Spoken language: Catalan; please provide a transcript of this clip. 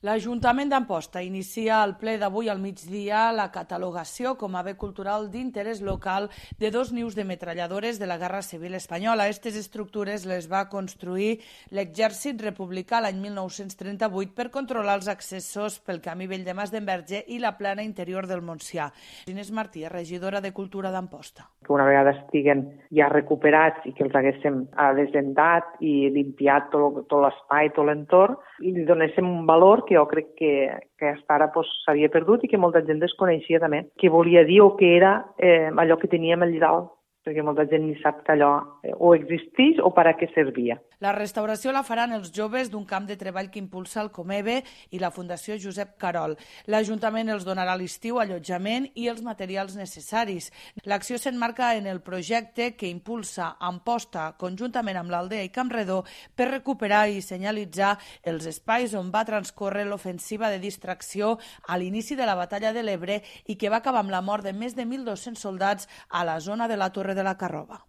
L'Ajuntament d'Amposta inicia el ple d'avui al migdia la catalogació com a bé cultural d'interès local de dos nius de metralladores de la Guerra Civil Espanyola. Aquestes estructures les va construir l'exèrcit republicà l'any 1938 per controlar els accessos pel camí vell de Mas d'Enverge i la plana interior del Montsià. Inés Martí, regidora de Cultura d'Amposta. Que una vegada estiguen ja recuperats i que els haguéssim desendat i limpiat tot l'espai, tot l'entorn, i li donéssim un valor que jo crec que fins ara s'havia perdut i que molta gent desconeixia també, què volia dir o què era allò que teníem allà dalt, perquè molta gent ni sap que allò o existeix o per a què servia. La restauració la faran els joves d'un camp de treball que impulsa el Comebe i la Fundació Josep Carol. L'Ajuntament els donarà a l'estiu allotjament i els materials necessaris. L'acció s'emmarca en el projecte que impulsa Amposta conjuntament amb l'Aldea i Campredó per recuperar i senyalitzar els espais on va transcórrer l'ofensiva de distracció a l'inici de la Batalla de l'Ebre i que va acabar amb la mort de més de 1.200 soldats a la zona de la Torre de la Carrova.